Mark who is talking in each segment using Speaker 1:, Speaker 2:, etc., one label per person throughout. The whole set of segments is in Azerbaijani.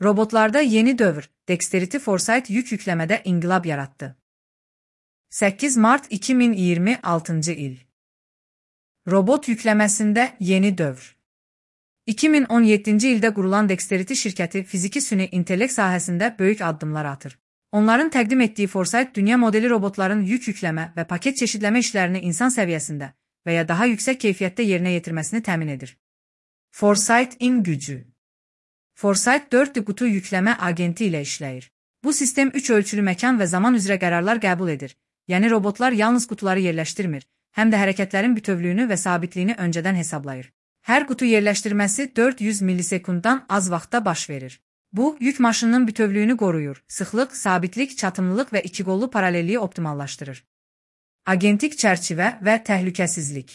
Speaker 1: Robotlarda yeni dövr, Dexterity Foresight yük yükləmədə inqilab yaratdı. 8 Mart 2026 il. Robot yükləməsində yeni dövr. 2017-ci ildə qurulan Dexterity şirkəti fiziki süni intellekt sahəsində böyük addımlar atır. Onların təqdim etdiyi Foresight dünya modeli robotların yük yükləmə və paket çeşidləmə işlərini insan səviyyəsində və ya daha yüksək keyfiyyətdə yerinə yetirməsini təmin edir. Foresight-in gücü. Foresight 4D qutu yükləmə agenti ilə işləyir. Bu sistem 3 ölçülü məkan və zaman üzrə qərarlar qəbul edir. Yəni robotlar yalnız qutuları yerləşdirmir, həm də hərəkətlərin bütövlüyünü və sabitliyini öncədən hesablayır. Hər qutu yerləşdirməsi 400 millisekunddan az vaxtda baş verir. Bu, yük maşınının bütövlüyünü qoruyur, sıxlıq, sabitlik, çatımlılıq və ikiqollu paralelliyi optimallaşdırır. Agentik çərçivə və təhlükəsizlik.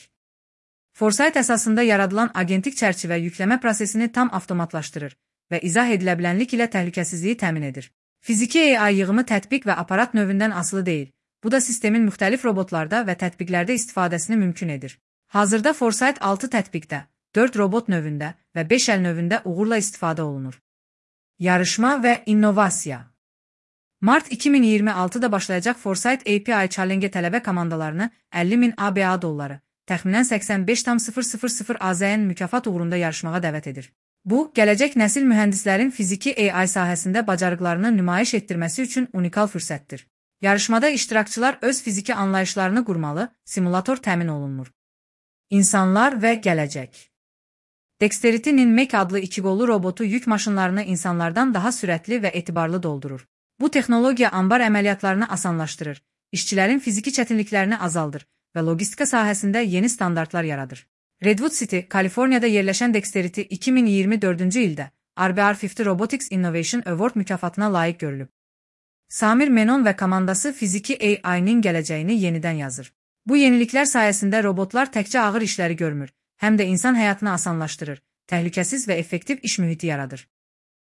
Speaker 1: Foresight əsasında yaradılan agentik çərçivə yükləmə prosesini tam avtomatlaşdırır və izah ediləbilənlik ilə təhlükəsizliyi təmin edir. Fiziki AI yığımı tətbiq və aparat növündən asılı deyil. Bu da sistemin müxtəlif robotlarda və tətbiqlərdə istifadəsini mümkün edir. Hazırda Foresight 6 tətbiqdə, 4 robot növündə və 5 əl növündə uğurla istifadə olunur. Yarışma və innovasiya. Mart 2026-da başlayacaq Foresight API Challenge tələbə komandalarını 50.000 ABA dolları, təxminən 85,000 AZN mükafat uğrunda yarışmağa dəvət edir. Bu, gələcək nəsil mühəndislərin fiziki AI sahəsində bacarıqlarını nümayiş etdirməsi üçün unikal fürsətdir. Yarışmada iştirakçılar öz fiziki anlayışlarını qurmalı, simulator təmin olunmur. İnsanlar və gələcək. Dexterity'nin Mac adlı ikiqollu robotu yük maşınlarını insanlardan daha sürətli və etibarlı doldurur. Bu texnologiya anbar əməliyyatlarını asanlaşdırır, işçilərin fiziki çətinliklərini azaldır və logistika sahəsində yeni standartlar yaradır. Redwood City, Kaliforniyada yerləşən Dexterity 2024-cü ildə RBR50 Robotics Innovation Award mükafatına layiq görülüb. Samir Menon və komandası fiziki AI-nin gələcəyini yenidən yazır. Bu yeniliklər sayəsində robotlar təkcə ağır işləri görmür, həm də insan həyatını asanlaşdırır, təhlükəsiz və effektiv iş mühiti yaradır.